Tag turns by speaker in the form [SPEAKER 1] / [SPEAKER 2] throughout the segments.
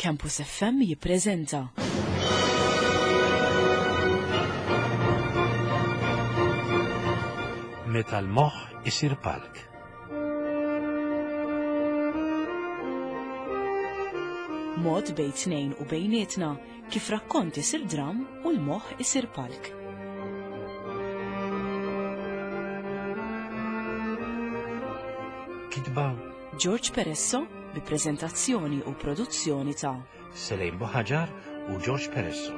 [SPEAKER 1] Campus FM jippreżenta.
[SPEAKER 2] Meta l-moħħ isir palk.
[SPEAKER 1] Mod bejn tnejn u bejnietna kif rakkont isir dram u l-moħħ isir palk.
[SPEAKER 2] Kitba
[SPEAKER 1] George Peresso bi preżentazzjoni u produzzjoni ta'
[SPEAKER 2] Selejn Buħaġar u George Peresso.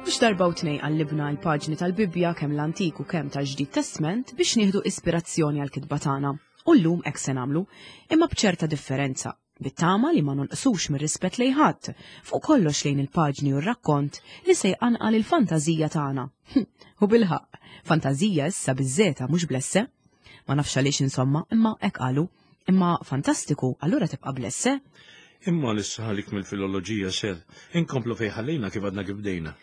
[SPEAKER 1] Mhux darba u tnej qallibna l-paġni tal-Bibbja kemm l-Antik u kemm tal-Ġdid Testment biex nieħdu ispirazzjoni għall-kitba tagħna. U llum hekk se nagħmlu, imma b'ċerta differenza, bit-tama li ma nonqsux mir-rispett lejn ħadd, fuq kollox lejn il-paġni u r-rakkont li se jqanqal il-fantażija tagħna. U bilħaqq, fantażija issa biż-żeta mhux bl-esse. Ma nafx għaliex insomma, imma hekk qalu. Imma fantastiku, allura tibqa' bl-esse?
[SPEAKER 2] Imma issa ħalik mill-filoloġija ser, inkomplu fejn ħallejna kif għadna kif bdejna.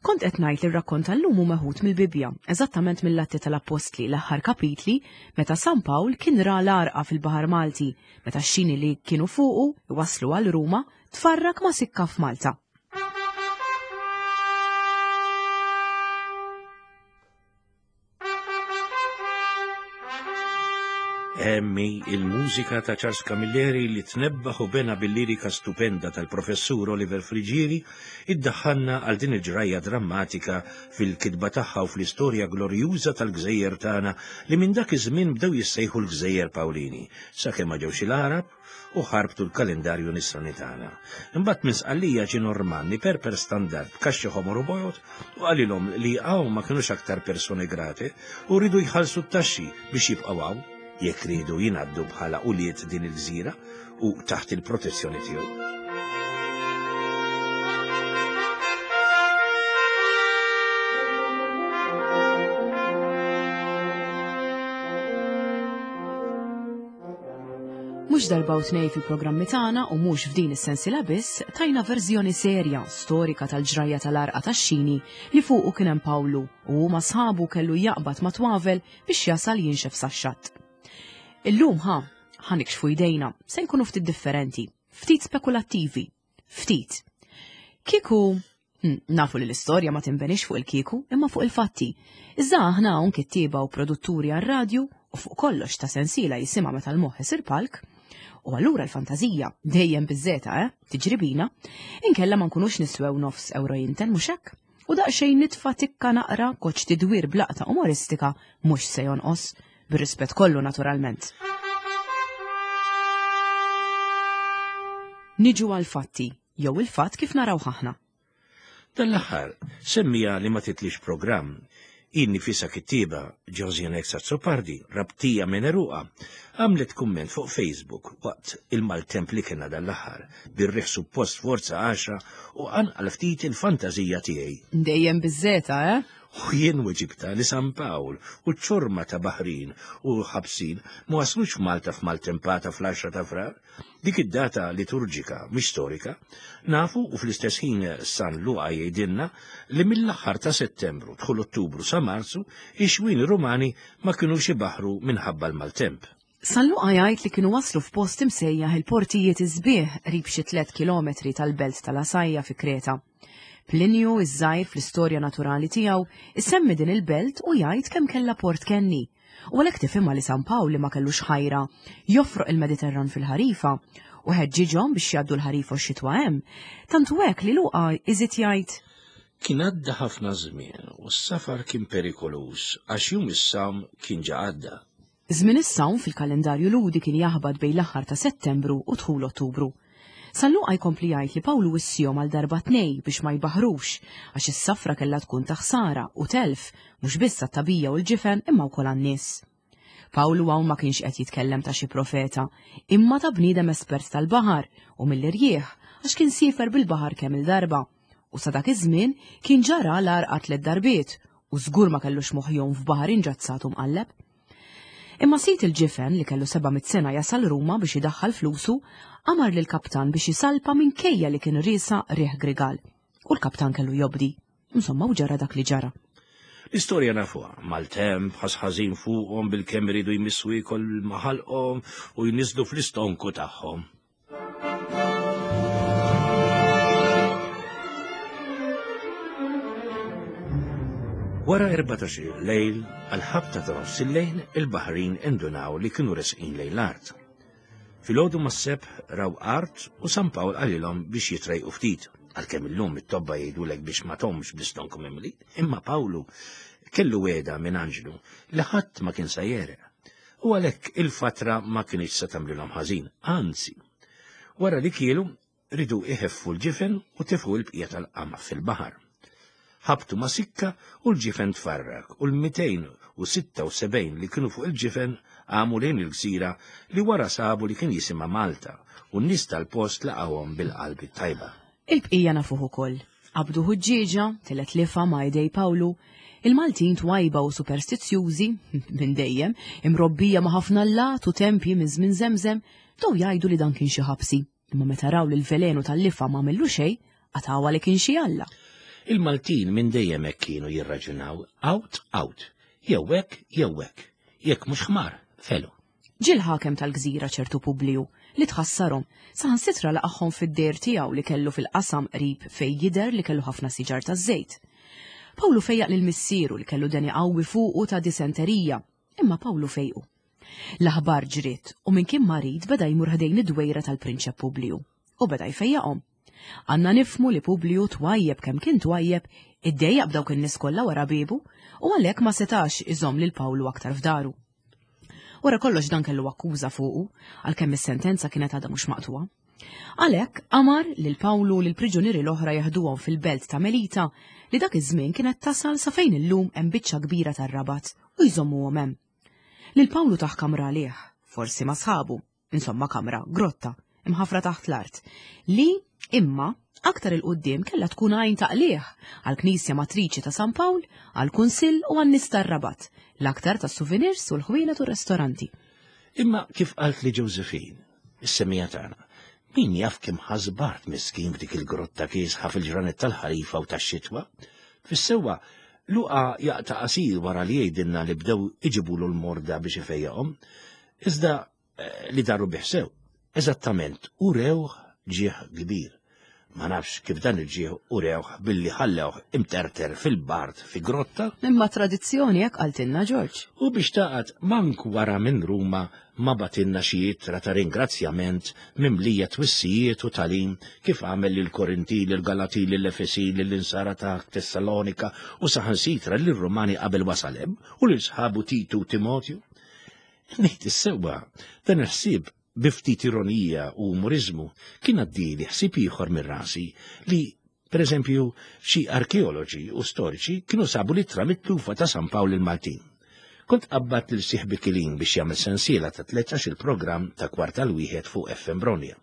[SPEAKER 1] Kont qed ngħid li r-rakkont tal-lum hu meħud mill-Bibbja, eżattament mill-Atti tal-Appostli, l-aħħar kapitli, meta San Pawl kien ra l-għarqa fil-Baħar Malti, meta x-xini li kienu fuqu iwasslu għal Ruma tfarrak ma' sikka f'Malta.
[SPEAKER 2] Emmi il-mużika ta' Charles Camilleri li tnebbaħ u bena bil-lirika stupenda tal-professur Oliver Friġieri iddaħħalna għal din il-ġrajja drammatika fil-kitba tagħha u fl-istorja glorjuża tal-gżejjer tagħna li minn dak iż-żmien bdew jissejħu l-Gżejjer Pawlini, sakemm ma ġewx il-Għarab u ħarbtu l-kalendarju nisrani tagħna. Imbagħad minn Sqallija ġie Normanni perper standard b'kaxxi ħomor u bojod u qalilhom li hawn ma kinux aktar persone grate u riedu jħallsu t-taxxi biex jibqgħu hawn jekk riedu jingħaddu bħala ulied din il-gżira u taħt il-protezzjoni tiegħu.
[SPEAKER 1] Mhux darba u tnej fil-programmi tagħna u mhux f'din is-sensiela biss tajna verżjoni serja, storika tal-ġrajja tal-għarqa tax-xini li fuqu kien hemm Pawlu u hu ma' sħabu kellu jaqbad ma' twavel biex jasal jinxef sax-xatt. Illum ħa, ħa nikxfu jdejna, se nkunu ftit differenti, ftit spekulattivi, Ftit. Kieku hm, nafu li l-istorja ma tinbenix fuq il-kieku imma fuq il-fatti. Iżda aħna hawn kittieba u produtturi għar-radju u fuq kollox ta' sensiela jisimha meta l-moħħ isir palk, u allura l-fantażija dejjem biżżeta, eh, tiġri bina, inkella ma nkunux niswew nofs euro jinten mhux hekk? U daqsxejn nitfa' tikka naqra koċ tidwir blaqta umoristika mhux se jonqos, bir-rispett kollu naturalment. Niġu għal fatti, jew il-fatt kif naraw aħna.
[SPEAKER 2] Dan l-aħħar semmija li ma titlix programm. Hi nnifisha kittieba, Josiane Azzopardi, Rabtija minn għeruqha, għamlet kumment fuq Facebook waqt il-maltemp li kellna dan l-aħħar, bir-riħ suppost forza għaxra u qanqal ftit il-fantażija tiegħi.
[SPEAKER 1] Dejjem biż-żeta, eh?
[SPEAKER 2] U jien weġibtha li San Pawl u ċ-ċorma ta' baħrin u ħabsin ma waslux f'Malta f'maltempata fl-għaxra ta' Frar. Dik id-data liturġika, mhix storika, nafu u fl-istess ħin San Luqa jgħidilna li mill-aħħar ta' Settembru, dħul Ottubru sa Marzu, ix-xwieni Rumani ma kinux ibaħħru minħabba l-maltemp.
[SPEAKER 1] San Luqa jgħid li kienu waslu f'post imsejjaħ il-Portijiet is-Sbieħ qrib xi tlett kilometri tal-belt tal-Għasajja fi Kreta. Plinju iż-Żgħir fl-istorja naturali tiegħu isemmi din il-belt u jgħid kemm kellha port kenni. U għalhekk tifhimha li San Pawl li ma kellux ħajra jofroq il-Mediterran fil-ħarifa u ħeġġiġhom biex jgħaddu l-ħarifa u x-xitwa hemm, tant hu hekk li Luqa iżid jgħid.
[SPEAKER 2] Kien għadda ħafna żmien u s-safar kien perikoluż għax jum is-sawm kien ġa għadda.
[SPEAKER 1] Żmien is-sawm fil-kalendarju Lhudi kien jaħbat bejn l-aħħar ta' Settembru u dħul Ottubru. San Luqa jkompli jgħid li Pawlu wissihom għal darba tnej biex ma jbaħħrux, għax is-safra kellha tkun ta' ħsara u telf, mhux biss għat-tagħbija u l-ġifen imma wkoll għan-nies. Pawlu hawn ma kienx qed jitkellem ta' xi profeta, imma ta' bniedem espert tal-baħar u mill-irjieħ, għax kien siefer bil-baħar kemm-il darba. U sa dak iż-żmien kien ġa ra l-għarqa tliet darbiet u żgur ma kellux moħħ jgħum f'baħar inġazzat u mqalleb. Imma sid il-ġifen li kellu 700 sena jasal Ruma biex idaħħal flusu, amar lill-kaptan biex isalpa minkejja li kien riesaq riħ grigal. U l-kaptan kellu jobdi. Insomma, u ġara dak li ġara.
[SPEAKER 2] L-istorja nafuha, maltemp, ħas ħażin fuqhom bilkemm iridu jmissu iekol ma' ħalqhom u jniżlu fl-istonku tagħhom. Wara 14 lejl, għal-ħabta ta' nofs il-lejl, il-baħrin indunaw li kienu resqin lejn l-art. Filgħodu mas-sebħ raw art u San Pawl qalilhom biex jitrejqu ftit, għalkemm illum it-tobba jgħidulek biex ma tgħumx bl-istonku mimli, imma Pawlu kellu wegħda minn anġlu li ħadd ma kien se jegħreq. U għalhekk il-fatra ma kinitx se tagħmlilhom ħażin, anzi. Wara li kielu, Riedu iħeffu l-ġifen u tefgħu l-bqija tal-qamħ fil-baħar. Ħabtu ma' sikka u l-ġifen tfarrak u l-276 li kienu fuq il-ġifen għamu lejn il-gżira li wara sabu li kien jisimha Malta u n-nies tal-post laqgħuhom bil-qalb it-tajba.
[SPEAKER 1] Il-bqija nafuh ukoll. Qabdu ħuġġieġa, tilgħet lifgħa ma' idej Pawlu. Il-Maltin twajba u superstizzjużi, minn dejjem, imrobbija ma' ħafna allat u tempji minn żmien żemżem, bdew jgħidu li dan kien xi ħabsi. Imma meta raw li l-velenu tal-lifgħa m'għamillu xejn, qatgħuha li kien xi alla.
[SPEAKER 2] Il-Maltin minn dejjem hekk kienu jirraġunaw, out, out. Jew hekk, jew hekk. Jekk mhux ħmar, felu.
[SPEAKER 1] Ġie l-ħakem tal-gżira ċertu Publiju, li tħassarhom, saħansitra laqagħhom fid-dejr tiegħu li kellu fil-qasam qrib fejn jidher li kellu ħafna siġar taż-żejt. Pawlu fejjaq lil missieru li kellu deni qawwi fuqu ta' disenterija, imma Pawlu fejqu. L-aħbar ġriet u min kien marid beda jmur ħdejn id-dwejra tal-prinċep Publiju u beda jfejjaqhom. Għandna nifhmu li Publiju twajjeb kemm kien twajjeb, iddejjaq b'dawk in-nies kollha wara biebu u għalhekk ma setax iżomm lil Pawlu aktar f'daru. Wara kollox dan kellu akkuża fuqu, għalkemm is-sentenza kienet għadha mhux maqtugħa. Għalhekk amar lil Pawlu u lill-priġunieri l-oħra jeħduhom fil-belt ta' Melita li dak iż-żmien kienet tasal sa fejn illum hemm biċċa kbira tar-Rabat u jżommuhom hemm. Lil Pawlu tah kamra għalih, forsi ma' sħabu, insomma kamra, grotta, imħaffra taħt l-art, li, imma, aktar 'il quddiem kellha tkun għajn ta' qligħ għall-Knisja Matriċi ta' San Pawl, għall-Kunsill u għan-nies tar-Rabat, l-aktar tas-souvenirs u l-ħwienet u r-restoranti.
[SPEAKER 2] Imma kif qaltli Josephine, is-semmiegħa tagħna, min jaf kemm ħass bard miskin f'dik il-grotta kiesħa fil-ġranet tal-ħarifa u tax-xitwa. Fis-sewwa, Luqa jaqta' qasir wara li jgħidilna li bdew iġibulu l-morda biex ifejjaqhom, iżda eh, li daru bih sew. Eżattament, urewh ġieħ kbir. Ma nafx kif dan il-ġieħ urewh billi ħallewh imterter fil-bard fi grotta.
[SPEAKER 1] Imma tradizzjoni hekk qaltilna Ġorġ.
[SPEAKER 2] U biex taqgħad mank wara minn Ruma ma bagħtilna xi ittra ta' ringrazzjament mimlija twissijiet u tagħlim kif għamel lill-Korintin, lill-Galatin, lill-Efesin, lill-Insara ta' Tessalonika u saħansitra lir-Rumani qabel wasal hemm u lil sħabu Titu u Timotju. Ngħid is-sewwa, dan il-ħsieb bi ftit ironija u umoriżmu kien għaddieli ħsieb ieħor minn rasi li, per eżempju, xi arkeoloġi u storiċi kienu sabu l-ittra mitlufa ta' San Pawl il-Maltin. Kont qabbadt lil sieħbi Kilin biex jagħmel sensiela ta' 13 il-programm ta' kwart għal wieħed fuq FM Bronja.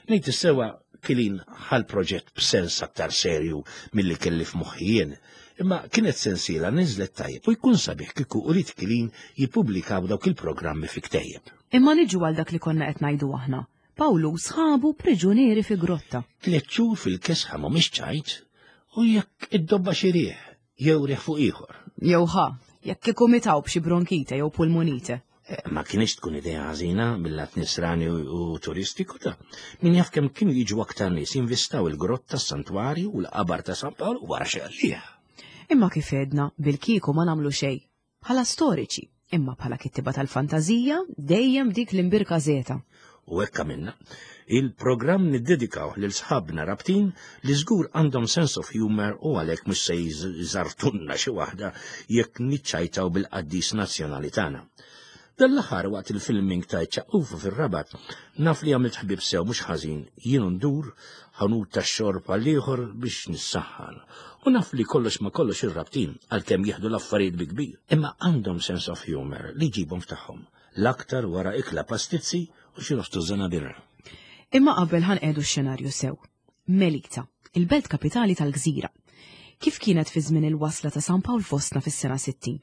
[SPEAKER 2] Ngħid is-sewwa Kilin ħa l-proġett b'sens aktar serju milli kelli f'moħħi jien, imma kienet sensiela niżlet tajjeb u jkun sabiħ kieku ulied Kilin jippubblikaw dawk il-programmi fi ktejjeb.
[SPEAKER 1] Imma niġu għal dak li konna qed ngħidu aħna. Pawlu u sħabu priġunieri fi grotta.
[SPEAKER 2] Tliet xhur fil-kesħa mhumiex ċajt, u jekk iddobba xi riħ, jew riħ fuq ieħor.
[SPEAKER 1] Jew ħa, jekk kieku mitaw b'xi bronkite jew pulmonite.
[SPEAKER 2] Eh, ma kienx tkun idea ħażina mill-lat nisrani u turistiku ta' min jaf kemm kienu jiġu aktar nies jinvistaw il-grotta, s-santwarju u l-qabar ta' San Pawl wara xi għalih.
[SPEAKER 1] Imma kif għedna, bil-kieku ma nagħmlu xejn. Bħala storiċi, imma bħala kittiba tal-fantażija, dejjem dik l-imbirka żeta.
[SPEAKER 2] U hekk għamilna. Il-programm niddedikawh lil sħabna Rabtin li żgur għandhom sense of humour u għalhekk mhux se jżartunna xi waħda jekk niċċajtaw bil-qaddis nazzjonali tagħna. Dan l-aħħar waqt il-filming ta' Iċ-Ċaqqufa fir-Rabat, naf li għamilt ħbieb sew mhux ħażin, jien u ndur ħanut tax-xorb għal ieħor biex nissaħħan. U naf li kollox ma kollox ir-Rabtin, għalkemm jieħdu l-affarijiet bi kbir, imma għandhom sense of humour li jġibhom f'tagħhom, l-aktar wara ikla pastizzi u xi nofs tużżana birra.
[SPEAKER 1] Imma qabel ħa nqiegħdu x-xenarju sew. Melita, il-belt kapitali tal-gżira. Kif kienet fi żmien il-wasla ta' San Pawl fostna fis-sena 60?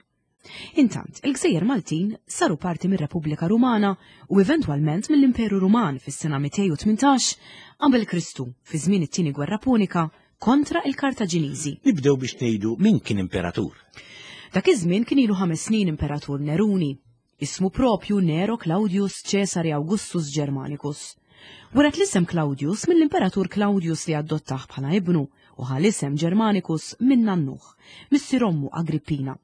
[SPEAKER 1] Intant, il-gżejjer Maltin saru parti mir-Repubblika Rumana u eventwalment mill-Imperu Ruman fis-sena 218 qabel Kristu fi żmien it-Tieni Gwerra Punika kontra il-Kartaġiniżi.
[SPEAKER 2] Nibdew biex ngħidu min kien imperatur.
[SPEAKER 1] Dak iż-żmien kien ilu ħames snin imperatur Neruni, ismu propju Nero Claudius Cesare Augustus Germanicus. Weret l-isem Claudius mill-imperatur Claudius li adottah bħala ibnu u ħa l-isem Germanicus minn nannuh, missier ommu Agrippina.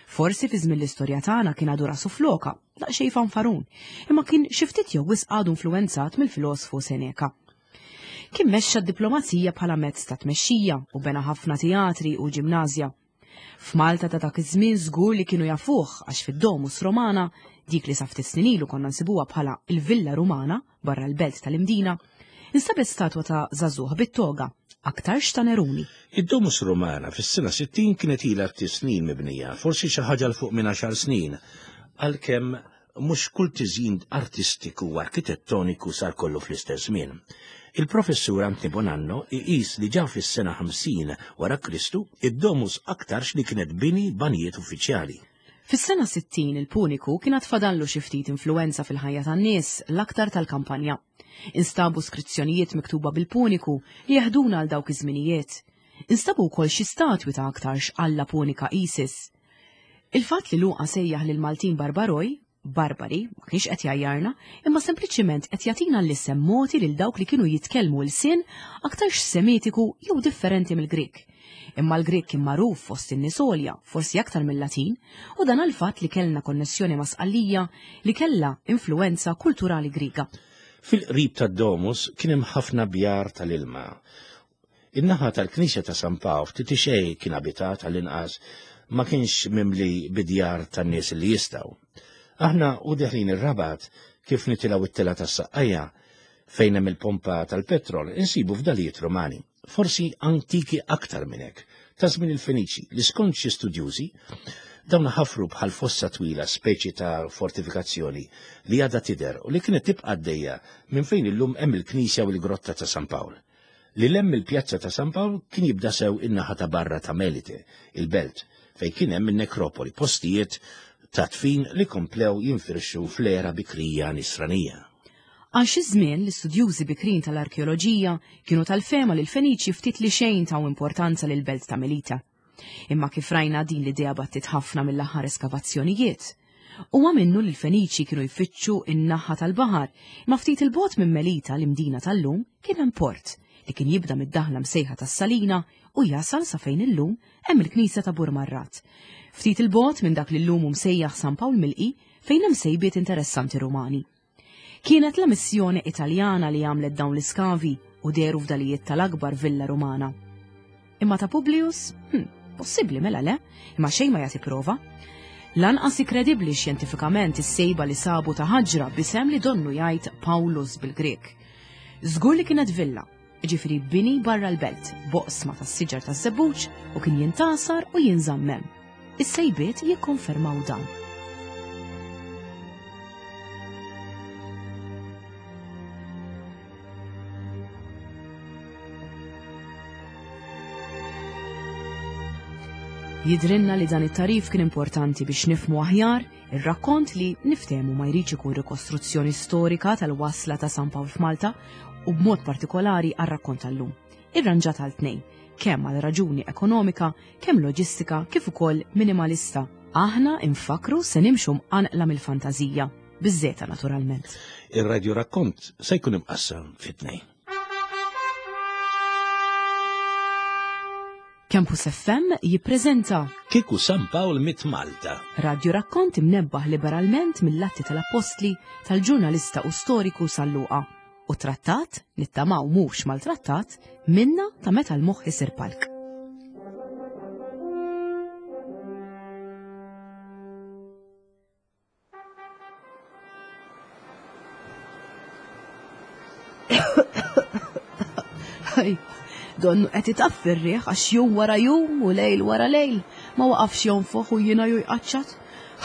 [SPEAKER 1] Forsi fi żmien l-istorja tagħna kien għadu rasu floka, daqsxejn fanfarun, imma kien xi ftit jew wisq għadu influwenzat mill-filosfu Seneca. Kien mexxa d-diplomazija bħala mezz ta' tmexxija u bena ħafna teatri u ġimnażja. F'Malta ta' dak iż-żmien żgur li kienu jafuh għax fid-Domus Romana, dik li sa ftit snin ilu konna nsibuha bħala il-Villa Rumana barra l-belt tal-Imdina, instabet statwa ta' żagħżugħ bit-toga, aktarx ta' Neruni.
[SPEAKER 2] Id-Domus Romana fis-sena 60 kienet ilha ftit snin mibnija, forsi xi ħaġa 'l fuq minn għaxar snin, għalkemm mhux kull tiżjin artistiku u arkitettoniku sar kollu fl-istess żmien. Il-Professur Anthony Bonanno iqis li ġa fis-sena 50 wara Kristu, id-Domus aktarx li kienet bini b'għanijiet uffiċjali.
[SPEAKER 1] Fis-sena 60 il-Puniku kien għad fadallu xi ftit influwenza fil-ħajja tan-nies, l-aktar tal-kampanja. Instabu skrizzjonijiet miktuba bil-Puniku li jeħduna għal dawk iż-żminijiet. Instabu wkoll xi statwi ta' aktarx alla Punika Isis. Il-fatt li Luqa sejjaħ lill-Maltin Barbaroj, barbari, ma kienx qed jgħajjarna, imma sempliċiment qed jagħtina l-isem mogħti lil dawk li kienu jitkellmu lsien aktarx Semitiku jew differenti mill-Grieg. Imma l-Grieg kien magħruf fost in-nies għolja, forsi aktar mill-Latin, u dan għall-fatt li kellna konnessjoni ma' Sqallija li kellha influwenza kulturali Griega.
[SPEAKER 2] Fil-qrib tad-Domus kien hemm ħafna bjar tal-ilma. In-naħa tal-knisja ta' San Pawl ftit li xejn kien abitat għall-inqas ma kienx mimli bid-djar tan-nies li jistgħu. Aħna u deħlin ir-Rabat kif nitilgħu it-telgħa tas-Saqqajja fejn hemm il-pompa tal-petrol insibu fdalijiet Rumani, forsi antiki aktar minn hekk, ta' żmien il-Feniċi li skont xi studjużi dawn ħafru bħal fossa twila speċi ta' fortifikazzjoni li għadha tidher u li kienet tibqa' għaddejja minn fejn illum hemm il-knisja u l-grotta ta' San Pawl. Lil hemm mill-Pjazza ta' San Pawl kien jibda sew in-naħa ta' barra ta' Melite, il-belt, fejn kien hemm in-nekropoli, postijiet ta' dfin li komplew jinfirxu fl-era bikrija Nisranija.
[SPEAKER 1] Għal xi żmien, l-istudjużi bikrin tal-arkeoloġija kienu tal-fehma li l-Feniċi ftit li xejn taw importanza lill-belt ta' Melite. Imma kif rajna din l-idea battiet ħafna mill-aħħar eskavazzjonijiet. Huwa minnu li l-Feniċi kienu jfittxu n-naħa tal-baħar, imma ftit 'il bogħod minn Melita, l-Imdina tal-lum, kien hemm port li kien jibda mid-daħla msejħa tas-Salina u jasal sa fejn illum hemm il-knisja ta' Burmarrad. Ftit 'il bogħod minn dak li llum hu msejjaħ San Pawl Milqi fejn hemm sejbiet interessanti Rumani. Kienet la missjoni Italjana li għamlet dawn l-iskavi u dehru fdalijiet tal-akbar villa Rumana. Imma ta' Publius? Hm, possibbli mela le, imma xejn ma jagħti prova. Lanqas kredibbli xjentifikament is-sejba li sabu ta' ħaġra b'isem li donnu jgħid Paulus bil-Grek. Żgur li kienet villa, jiġifieri bini barra l-belt, b'oqsma tas-siġar taż-żebbuġ u kien jintgħasar u jinżamm hemm. Is-sejbiet jikkonfermaw dan. Jidhrilna li dan it-tagħrif kien importanti biex nifhmu aħjar Ir-rakkont li niftehmu ma jridx ikun rikostruzzjoni storika tal-wasla ta' San Pawl f'Malta u b'mod partikolari għar-rakkont tal-lum. Irranġat għal tnejn, kemm għal raġuni ekonomika, kemm loġistika kif ukoll minimalista. Aħna infakkru se nimxu mqanqla mill-fantażija, biż-żeta naturalment.
[SPEAKER 2] Ir-radju rakkont se jkun imqassam fi tnejn.
[SPEAKER 1] Campus FM jippreżenta
[SPEAKER 2] Kieku San Pawl miet Malta.
[SPEAKER 1] Radju rakkont imnebbaħ liberalment mill-Atti tal-Appostli tal-ġurnalista u storiku San Luqa u trattat, nittamaw mhux maltrattat, minna ta' meta l-moħħ isir palk. Donnu qed itaffi r-riħ għax jum wara jum u lejl wara lejl ma waqafx jonfoħ u jiena ju jqaċċat.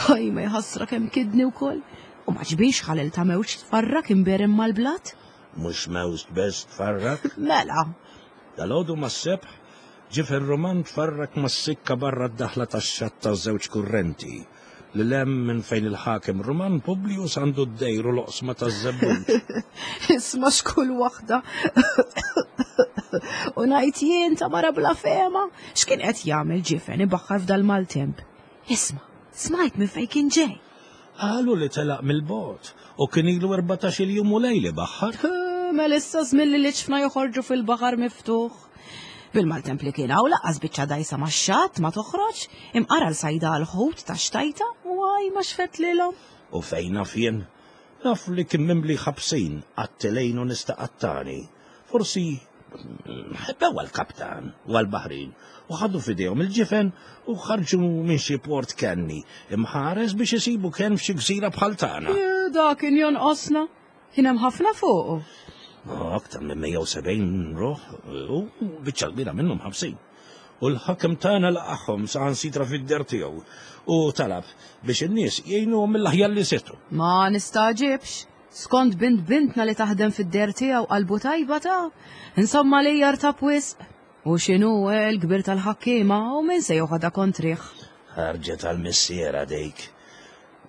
[SPEAKER 1] Ħaj ma jħassra kemm kidni wkoll. U ma ġbix ħalel ta' mewġ tfarrak imberim mal-blat.
[SPEAKER 2] Mhux mewġ bes tfarrak?
[SPEAKER 1] Mela.
[SPEAKER 2] Dalgħodu mas-sebħ. Ġifen Ruman tfarrak mas-sikka barra d-daħla tax-xatt taż-żewġ kurrenti, lil hemm minn fejn il-ħakem Ruman Publius għandu d-dejr u l-oqsma taż-żebbuġ.
[SPEAKER 1] Isma' x'kull waħda. U ngħid jien ta' mara bla fehma, x'kien qed jagħmel ġifen ibaħħar f'dal-maltemp. Isma', smajt minn fejn kien ġej.
[SPEAKER 2] Qalu li telaq mill-bogħod u kien ilu 14-il jum u lejl ibaħħar.
[SPEAKER 1] Mela issa żmien li l-iġfna joħorġu fil-baħar miftuħ. Bil-maltemp li kien hawn laqqas biċċa dajsa max-xatt ma toħroġ, imqara l-sajda għall-ħut ta' xtajta u għaj ma xfet lilhom.
[SPEAKER 2] U fejn naf jien? Naf li kien mimli ħabsin, qattilejn u nies ta' qattani. Forsi ħebbew għall-kaptan u għall-baħrin u ħadu f'idejhom il-ġifen u ħarġu minn xi port kenni imħares biex isibu kenn f'xi gżira bħal tagħna.
[SPEAKER 1] Da kien jonqosna. Kien hemm ħafna fuqu.
[SPEAKER 2] Aktar minn 170 ruħ u biċċa kbira minnhom ħabsin. U l-ħakem tagħna laqagħhom saħansitra fid-der tiegħu u talab biex in-nies jgħinuhom mill-aħjar li setgħu.
[SPEAKER 1] Ma nistagħġibx. Skont bint bintna li taħdem fid-der tiegħu qalbu tajba ta' insomma li jartab wisq. U x'inhu eh, l-kbir tal-ħakkiema u min se joħodha kontrih.
[SPEAKER 2] Ħarġet għal missiera dik.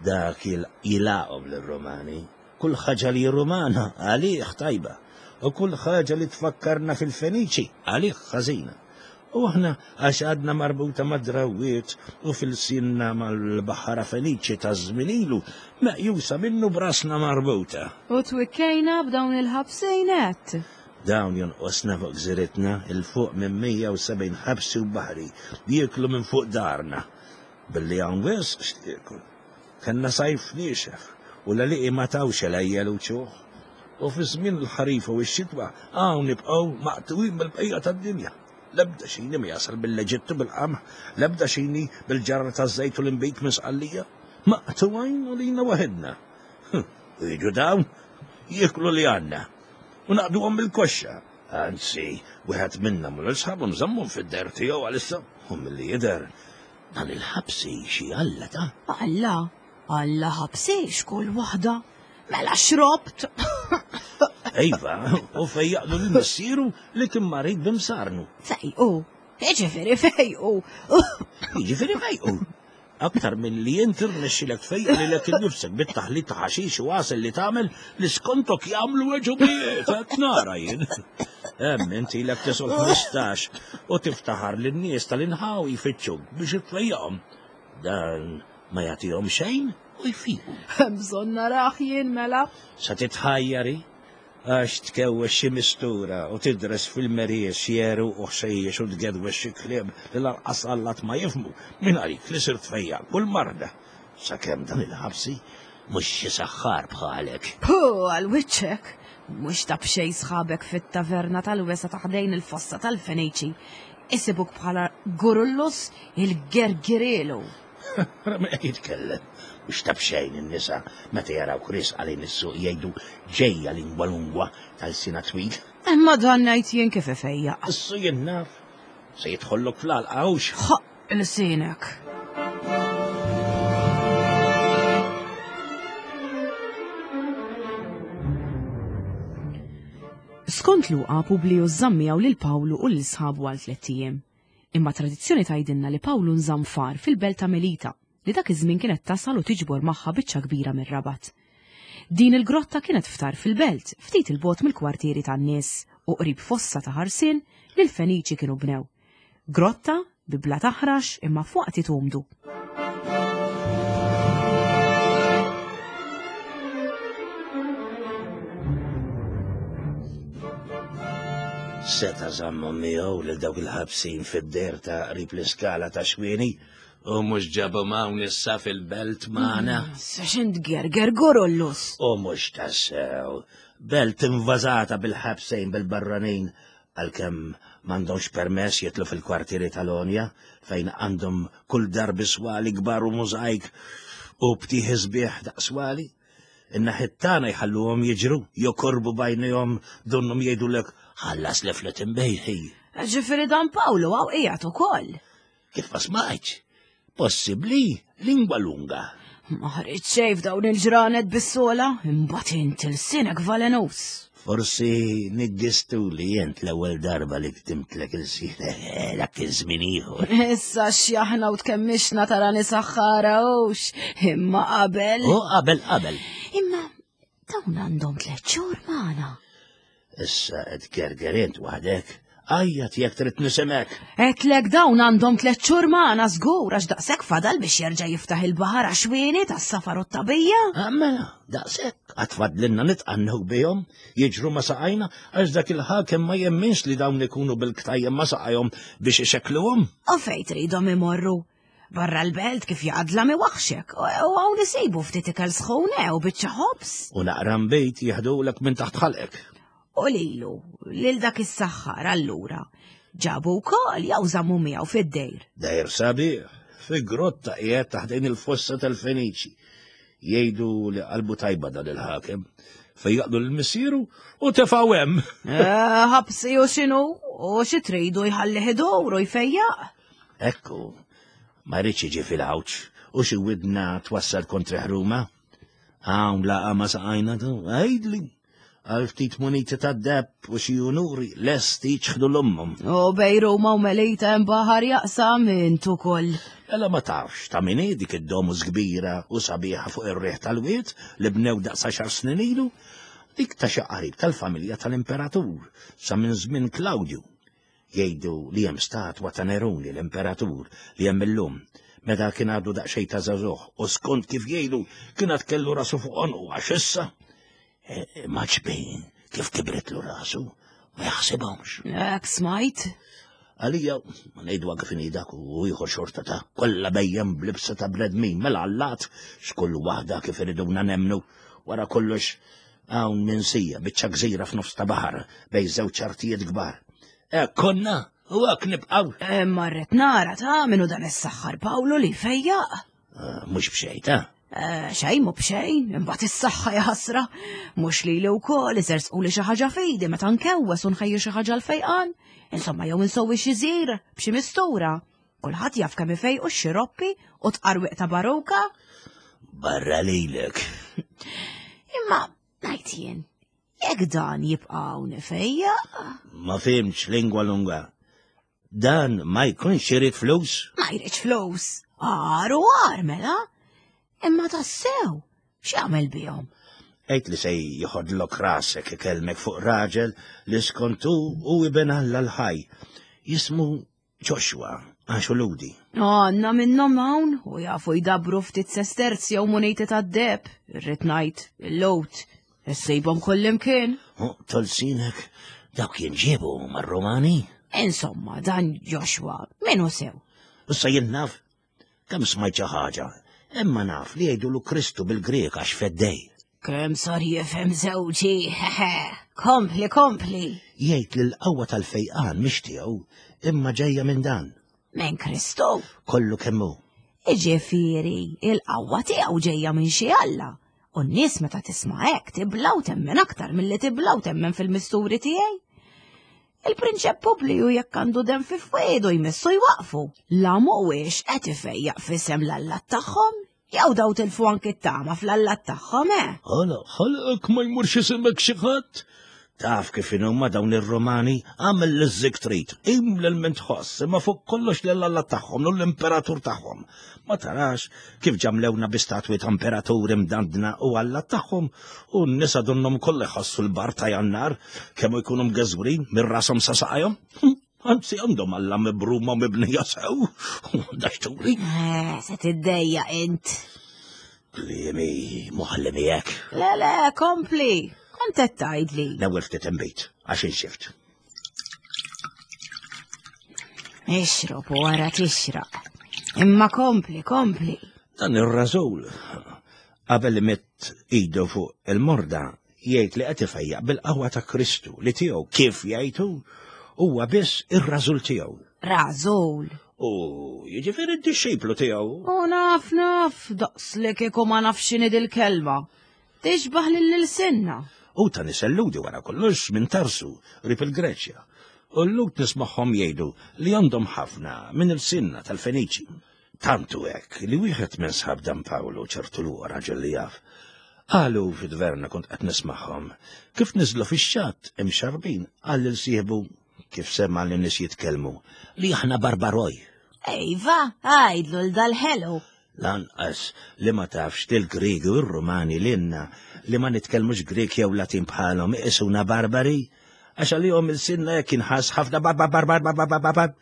[SPEAKER 2] Dak jilaqhom lir-Rumani. Kull ħaġa li Rumana għalih tajba u kull ħaġa li tfakkarna fil-Feniċi għalih ħażina. U aħna għax għadna marbuta mad-drawwiet u f'ilsienna mal-baħħara Feniċi ta' żmien ilu, meqjusa minnu b'rasna marbuta.
[SPEAKER 1] U twikkejna b'dawn il-ħabsejn għedt.
[SPEAKER 2] Dawn jonqosna fuq gżiritna 'l fuq minn 170 ħabsi u baħri jieklu minn fuq darna. Billi hawn wisq x'tiekol. Kellna sajf niexef u l-għelieqi ma tawx għelejjel uċuħ. U fi żmien il-ħarifa u x-xitwa hawn nibqgħu maqtugħin mill-bqija tad-dinja. L-ebda xini ma jasal mill-Eġittu bil-qamħ, l-ebda xini bil-ġarra taż-żejt u l-inbid minn Sqallija. Maqtugħin għalina waħidna. U jiġu dawn, jieklu li għandna u naqduhom bil-koxxa. Anzi, wieħed minna u lil sħabu nżammhom fid-der tiegħu għalissa u milli jidher Dan il-ħabsi xi alla ta'.
[SPEAKER 1] Alla? Alla ħabsi x'kull waħda? Mela xrobt!
[SPEAKER 2] Iva, u fejjaqlu lil missieru li kien marid b'imsarnu.
[SPEAKER 1] Fejqu? Jiġifieri fejqu.
[SPEAKER 2] Jiġifieri fejqu. Aktar minn li int irnexxilek tfejjaq lilek innifsek bit-taħlit ta' ħaxix u għasel li tagħmel li skontok jagħmlu għeġubijiet, qed nara jien. Hemm int ilek tisol 15 u tiftaħar li n-nies tal-inħawi jfittxuk biex itfejjaqhom. Dan ma jagħtihom xejn u jfiqu.
[SPEAKER 1] Hemm bżonn narah jien mela.
[SPEAKER 2] Sa titħajjari għax tkewwex xi mistura u tidres fil-meriex xi għeruq u ħxejjex u tgedwex xi kliem li lanqas allat ma jifhmu minn għalik li sirt tfejjaq kull marda. Sakemm dan il-ħabsi mhux xi saħħar bħalek.
[SPEAKER 1] Pu għal wiċċek! Mhux ta' b'xejn sħabek fit-taverna tal-wesgħa ta' ħdejn il-fossa tal-Feniċi isibuk bħala Gurullus il-Gergirielu.
[SPEAKER 2] Ra min qed jitkellem. Mhux ta' b'xejn in-nisa meta jarawk riesqa lejn is-suq jgħidu ġejja lingwa lungwa ta' lsienha twil.
[SPEAKER 1] Imma dan ngħid jien kif ifejjaq.
[SPEAKER 2] Issu jien naf. Se jidħollok fl-għalqa hux.
[SPEAKER 1] Ħoqq ilsienek. Skont Luqa, Publius żamm miegħu lil Pawlu u lil sħabu għal tlett ijiem. Imma tradizzjoni tgħidilna li Pawlu nżamm f'għar fil-belt ta' Melita, li dak iż-żmien kienet tasal u tiġbor magħha biċċa kbira mir-Rabat. Din il-grotta kienet f'tarf il-belt, ftit 'il bogħod mill-kwartieri tan-nies u qrib fossa ta' ħarsien li l-Feniċi kienu bnew. Grotta bi blat aħrax imma f'waqtiet umdu.
[SPEAKER 2] Seta' żammhom miegħu lil dawk il-ħabsin fid-der ta' qrib l-iskala ta' xwieni U mhux ġabhom hawn issa fil-belt magħna.
[SPEAKER 1] Sa x'int gerger gurullus.
[SPEAKER 2] U mhux tassew. Belt invażata bil-ħabsejn bil-barranin għalkemm m'għandhomx permess jitlu fil-kwartieri tal-Onja fejn għandhom kull darbi swali kbar u mużajk u btieħi sbieħ daqswali. In-naħiet tagħna jħalluhom jiġru, jokorbu b'għajnejhom donnhom jgħidulek ħallas li flet imbejħi.
[SPEAKER 1] Ġifieri dan Pawlu hawn qiegħed ukoll.
[SPEAKER 2] Kif ma smajtx? Possibbli lingwa lunga.
[SPEAKER 1] Ma ħriġ xejn f'dawn il-ġranet bis-sola, imbagħad int ilsienek valenus.
[SPEAKER 2] Forsi niggistu li jent l-ewwel darba li ktimtlek il-sieħ dak kien żmien ieħor.
[SPEAKER 1] Issa x'jaħna u tkemmixna tara nisaħħara hux, imma qabel.
[SPEAKER 2] U qabel qabel.
[SPEAKER 1] Imma dawn għandhom tliet xhur magħna.
[SPEAKER 2] Issa qed gerger int waħdek, għajjat jekk trid nisimek.
[SPEAKER 1] Għedtlek dawn għandhom tlet xhur magħna żgur għax daqshekk fadal biex jerġa' jiftaħ il-baħar għax-xwieni tas-safar u t-tagħbija.
[SPEAKER 2] Ah, mela, daqshekk għad fadlilna nitqannew bihom, jiġru ma' saqajna għax dak il-ħakem ma jemminx li dawn ikunu bil-ktajjem ma' saqajhom biex ixekkluhom.
[SPEAKER 1] U fejn tridhom imorru? Barra l-belt kif jaqadla mi waħxek, u hawn isibu ftit ikel sħun eh, u biċċa ħobż.
[SPEAKER 2] U naqra nbejt jeħdulek minn taħt ħalqek.
[SPEAKER 1] U lilu, lil dak is-saħħar allura, ġabu wkoll jew żammu miegħu fid-dejr.
[SPEAKER 2] Dejr sabiħ, fi grotta qiegħed taħt il-fossa tal-Feniċi. Jgħidu li qalbu tajba dan il-ħakem. Fejjaqlu l-missieru u tefgħu hemm.
[SPEAKER 1] Eh, ħabsi u x'inhu u xi tridu jħallih idur u jfejjaq.
[SPEAKER 2] Ekku, ma jridx jiġi fil-għawġ u xi widna twassal kontra ħruma. Hawn laqa ma saqajna tu, għidli. Għal ftit muniti ta' deb u xi unuri lesti ċħdu l-ummum.
[SPEAKER 1] U bej Ruma u Melita hemm baħar jaqsam int ukoll.
[SPEAKER 2] Ela ma tafx ta' min hi dik id-domus kbira u sabiħa fuq ir-riħ tal-wied li bnew daqs għaxar snin ilu? Dik ta' xi qarib tal-familja tal-imperatur sa minn żmien Klawdju. Jgħidu li hemm statwa ta' Neruni l-imperatur li hemm illum, meta kien għadu daqsxejn ta' żagħżugħ u skont kif jgħidu kien għad kellu rasu fuq għonqu għax issa e, ma ġbin kif kibritlu rasu ma jaħsibhomx.
[SPEAKER 1] Hekk smajt.
[SPEAKER 2] Għalija, ma ngħidu kif inhi dak u ieħor xorta ta' kollha bejjem b'libsa ta' bnedmin mela allat x'kull waħda kif iriduna nemmnu wara kollox Hawn minsija, biċċa gżira f'nofs ta' baħar bejn żewġ artijiet kbar. Hekk konna u hekk nibqgħu.
[SPEAKER 1] Eh, marret nara ta' minnu dan is-saħħar Pawlu li fejjaq.
[SPEAKER 2] Eh, mhux b'xejn ta'
[SPEAKER 1] eh, xejn mhu b'xejn, imbagħad is-saħħa jaħasra. Mhux lili wkoll iżersqu li xi ħaġa fidi meta nkewwes u nħejju xi ħaġa l-fejqan. Insomma jew insowwi xi żir b'xi mistura. Kulħadd jaf kemm ifejqu x-xiroppi u tqarwiq ta' baruka.
[SPEAKER 2] Barra lilek.
[SPEAKER 1] Imma ngħid jien, jekk dan jibqa' hawn ifejjaq.
[SPEAKER 2] Ma fimx lingwa lunga. Dan ma jkunx irid flus?
[SPEAKER 1] Ma jridx flus. Għar u għar mela. Imma tassew, x'jagħmel bihom?
[SPEAKER 2] Għid li se jħodlok rasek ikellmek fuq raġel li skontu u iben Alla l-ħaj. Jismu Joshua, għax hu Lhudi.
[SPEAKER 1] Għandna minnhom hawn u jafu jdabru ftit sesterzi jew muniti tad-deheb, irrid ngħid, il-Lhud. Issibhom kullimkien.
[SPEAKER 2] U tolsinek, dawk jinġiebu mar-Rumani?
[SPEAKER 1] Insomma, dan Joshua, min hu sew?
[SPEAKER 2] Issa jien naf Kemm smajt xi ħaġa, imma naf li jgħidulu Kristu bil-Grieg għax feddej.
[SPEAKER 1] Kemm sar jifhem żewġi, hehe. Kompli, kompli.
[SPEAKER 2] Jgħid li l-qawwa tal-fejqan mhix tiegħu, imma ġejja minn dan.
[SPEAKER 1] Minn Kristu?
[SPEAKER 2] Kollu kemm hu.
[SPEAKER 1] Iġifieri, il-qawwa tiegħu ġejja minn xi Alla. U n-nies meta tisma' hekk tibla u temmen aktar milli tibla u temmen fil-misturi tiegħi. Il-prinċep Publiju jekk għandu dem fi fwedu jmissu jwaqfu. La mhuwiex qed ifejjaq f'isem l-allat tagħhom, jew daw tilfu anki t-tama fl-allat tagħhom, eh?
[SPEAKER 2] Ħala, ħalqek ma jmurx isimek xi ħadd. Taf kif inhuma dawn ir-Romani, għamel li żik trid, qim lil min tħoss, imma fuq kollox lil alla tagħhom u l-imperatur tagħhom. Ma tarax kif ġamlewna bi statwi ta' imperaturi mdandna u alla tagħhom u n-nisa donnhom kollha jħossu l-bar ta' Jannar kemm jkunu mgeżwrin minn rashom sa saqajhom. Hm, anzi għandhom alla mibruma u mibnija sew. Daxturi.
[SPEAKER 1] Eh, se tiddejja int.
[SPEAKER 2] Kliemi moħli miegħek.
[SPEAKER 1] Le, le, kompli. Kont qed tgħidli.
[SPEAKER 2] L-ewwel ftit inbid għax inxift.
[SPEAKER 1] Ixrob u wara tixraq. Imma kompli, kompli.
[SPEAKER 2] Dan ir-rażul qabel imidd idu fuq il-morda jgħid li qed ifejjaq bil-qawwa ta' Kristu li tiegħu kif jgħidu huwa biss ir-rażul tiegħu.
[SPEAKER 1] Rażul.
[SPEAKER 2] U jiġifieri d-dixxiplu tiegħu.
[SPEAKER 1] U naf naf daqs li kieku ma nafx x'inhi dil-kelma. Tixbaħ lil ilsienna.
[SPEAKER 2] Hu ta' nisel Lhudi wara kollox minn Tarsu, qrib il-Greċja. U l-Lhud nismagħhom jgħidu li għandhom ħafna minn ilsienna tal-Feniċi. Tant hu hekk li wieħed minn sħab dan Pawlu, ċertu Luqa raġel li jaf, Qalu fid-dverna kont qed nismagħhom. Kif niżlu fix-xatt imxarrbin qal lil sieħbu kif sema' li nies jitkellmu li aħna barbaroj.
[SPEAKER 3] Ejva, għajdlu l dal-ħelu.
[SPEAKER 2] Lanqas li ma tafx li l-Griegi u r-Rumani lilna li ma nitkellmux Grieg jew Latin bħalhom iqisuna barbari, għax għalihom ilsienna jekk inħass ħafna bar bar bar bar bar bar bar bar.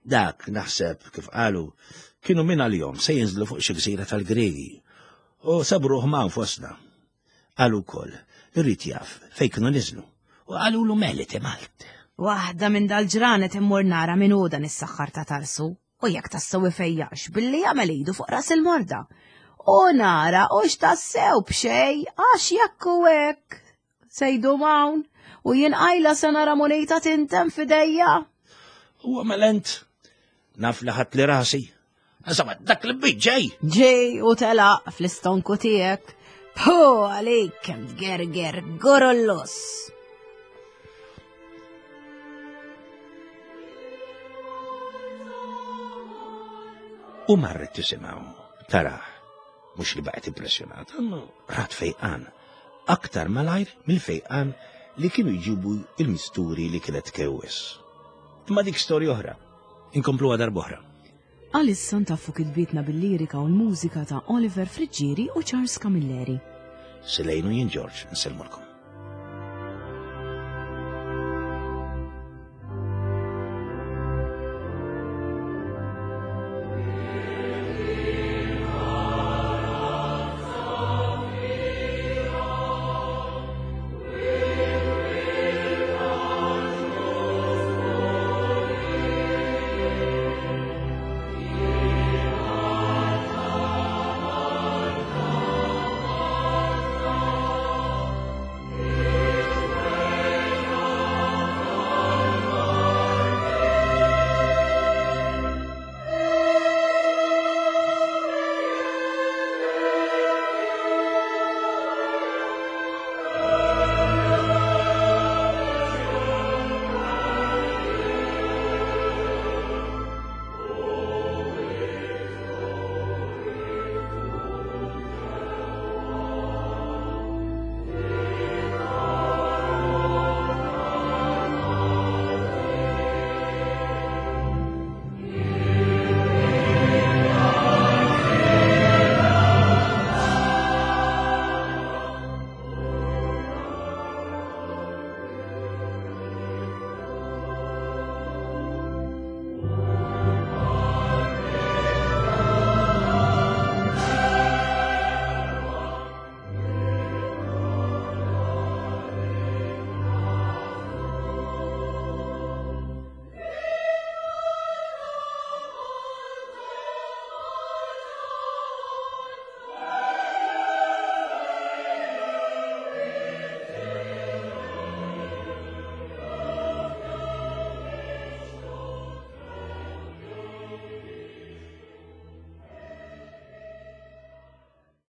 [SPEAKER 2] Dak, naħseb, kif qalu, kienu minn għalihom se jinżlu fuq xi gżira tal-Griegi u sabruh ma' fostna. Qalu wkoll li rrid jaf fejn kienu niżlu u qalulu Melite Malt.
[SPEAKER 3] Waħda minn dal-ġranet immur nara min hu dan is-saħħar ta' Tarsu u jekk tassew ifejjaqx billi jagħmel idu fuq ras il-morda. U nara u x'tassew b'xej għax jekk u hekk se jdum hawn u jien qajla se nara munita tintem f'idejja.
[SPEAKER 2] Huwa melent naf li ħadd li rasi. Insomma, dak li bid ġej.
[SPEAKER 3] Ġej u telaq fl-istonku tiegħek. Pu għalik kemm tgerger gorollus.
[SPEAKER 2] U marret tisimgħu, taraħ, mhux li baqgħet impressjonata, imma rat fejqan, aktar malajr mill-fejqan li kienu jġibu il-misturi li kienet tkewwes. Imma dik storja oħra, inkompluha darb'oħra.
[SPEAKER 1] Għalissa ntaffu kitbietna bil-lirika u l-mużika ta' Oliver Friggieri u Charles Camilleri.
[SPEAKER 2] Silejnu jien George, nsellmulkom.